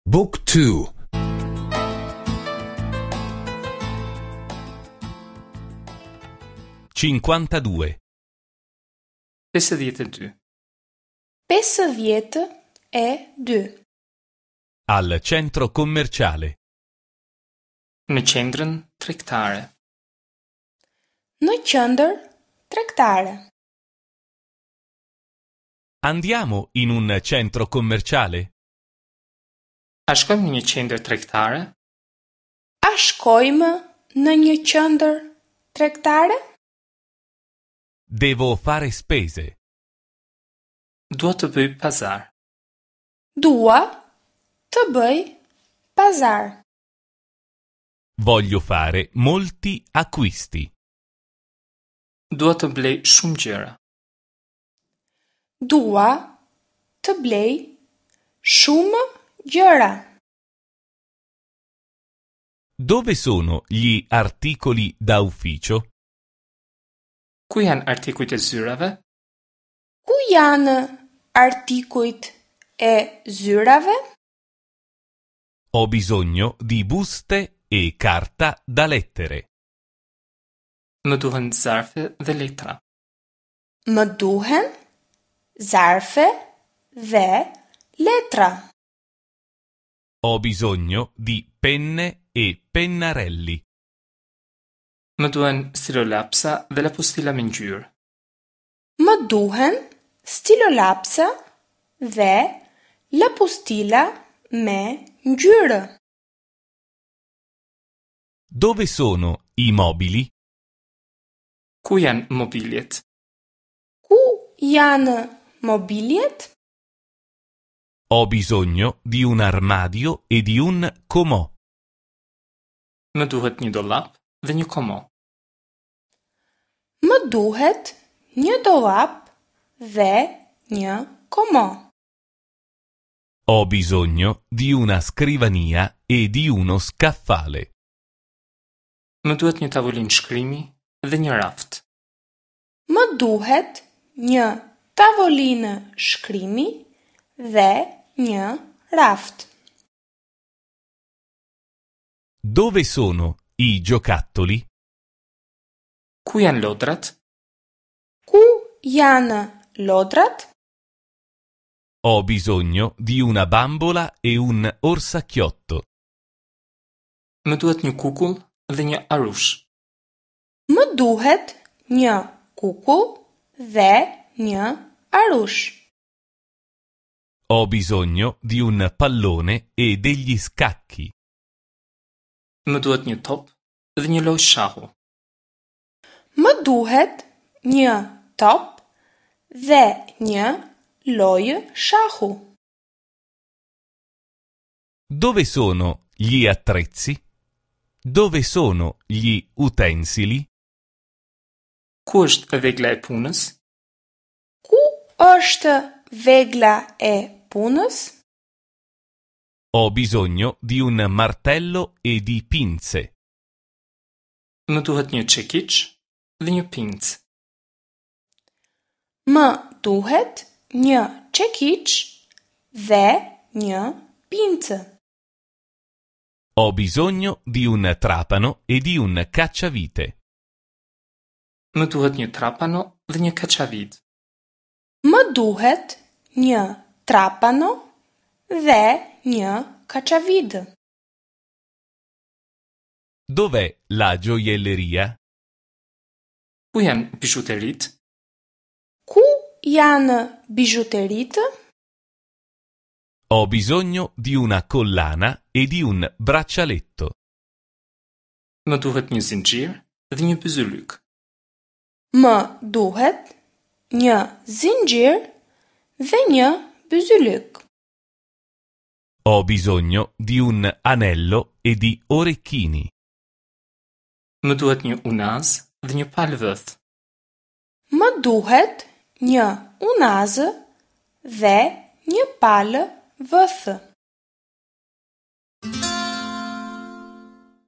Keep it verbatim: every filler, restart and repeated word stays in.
Book two. Cinquantadue. Pesëdhjetë e dy. Pesëdhjetë e dy. Al centro commerciale. Në qendrën tregtare. Në qendër tregtare. Andiamo in un centro commerciale? A shkojmë në një qendër tregtare? A shkojmë në një qendër tregtare? Devo fare spese. Dua të bëj pazar. Dua të bëj pazar. Voglio fare molti acquisti. Dua të blej shumë gjëra. Dua të blej shumë gjëra. Dove sono gli articoli da ufficio? Ku janë artikujt e zyrave? Ku janë artikujt e zyrave? Ho bisogno di buste e carta da lettere. Më duhen zarfe dhe letra. Më duhen zarfe dhe letra. Ho bisogno di penne e pennarelli. Më duhen stilolapsa dhe lapustila me ngjyrë. Më duhen stilolapsa dhe lapustila me ngjyrë. Dove sono i mobili? Ku janë mobiljet? Ku janë mobiljet? Ho bisogno di un armadio e di un comò. Më duhet një dollap dhe një komo. Më duhet një dollap dhe një komo. Ho bisogno di una scrivania e di uno scaffale. Më duhet një tavolinë shkrimi dhe një raft. Më duhet një tavolinë shkrimi dhe një raft. Dove sono i giocattoli? Ku janë lodrat? Ku janë lodrat? Ho bisogno di una bambola e un orsacchiotto. Më duhet një kukull dhe një arush. Më duhet një kukull dhe një arush. Ho bisogno di un pallone e degli scacchi. Më duhet një top dhe një lojë shahu. Më duhet një top dhe një lojë shahu. Dove sono gli attrezzi? Dove sono gli utensili? Ku është vegla e punës? Ku është vegla e punës? Ho bisogno di un martello e di pinze. Më duhet një çekiç dhe një pincë. Më duhet një çekiç dhe një pincë. Ho bisogno di un trapano e di un cacciavite. Më duhet një trapano dhe një kaçavid. Më duhet një trapano dhe një kaçavid. Dov'è la gioielleria? Ku janë bizhuteritë? Ku janë bizhuteritë? Ho bisogno di una collana e di un braccialetto. Më duhet një zinxhir dhe një byzylyk. Më duhet një zinxhir dhe një byzylyk. Ho bisogno di un anello e di orecchini. Më duhet një unaz dhe një palë vëth. Më duhet një unazë dhe një palë vëthë.